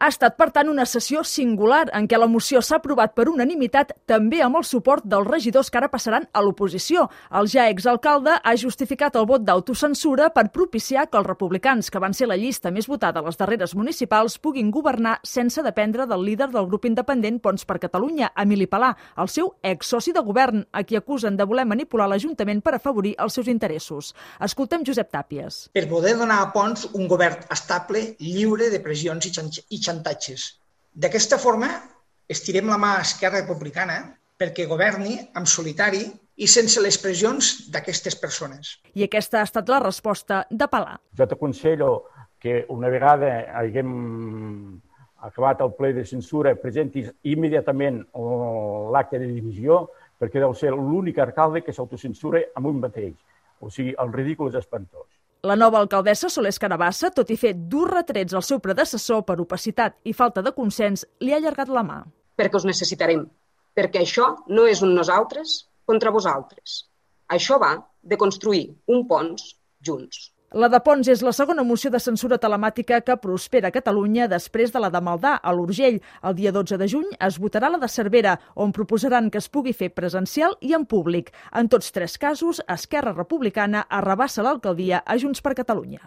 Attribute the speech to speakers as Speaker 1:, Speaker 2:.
Speaker 1: Ha estat, per tant, una sessió singular en què la moció s'ha aprovat per unanimitat, també amb el suport dels regidors que ara passaran a l'oposició. El ja exalcalde ha justificat el vot d'autocensura per propiciar que els republicans, que van ser la llista més votada a les darreres municipals, puguin governar sense dependre del líder del grup independent Ponts per Catalunya, Emili Palà, el seu exsoci de govern, a qui acusen de voler manipular l'Ajuntament per afavorir els seus interessos. Escoltem Josep Tàpies.
Speaker 2: Per poder donar a Ponts un govern estable, lliure de pressions i xantatges. D'aquesta forma, estirem la mà a Esquerra Republicana perquè governi en solitari i sense les pressions d'aquestes persones.
Speaker 1: I aquesta ha estat la resposta de Palà.
Speaker 3: Jo t'aconsello que una vegada haguem acabat el ple de censura presentis immediatament l'acte de dimissió perquè deu ser l'únic alcalde que s'autocensura amb un mateix. O sigui, el ridícul és espantós.
Speaker 1: La nova alcaldessa Solers Carabassa, tot i fer durs retrets al seu predecessor per opacitat i falta de consens, li ha allargat la mà.
Speaker 4: Perquè us necessitarem, perquè això no és un nosaltres contra vosaltres. Això va de construir un Ponts junts.
Speaker 1: La de Ponts és la segona moció de censura telemàtica que prospera a Catalunya després de la de Maldà, a l'Urgell. El dia 12 de juny es votarà la de Cervera, on proposaran que es pugui fer presencial i en públic. En tots tres casos, Esquerra Republicana arrabassa l'alcaldia a Junts per Catalunya.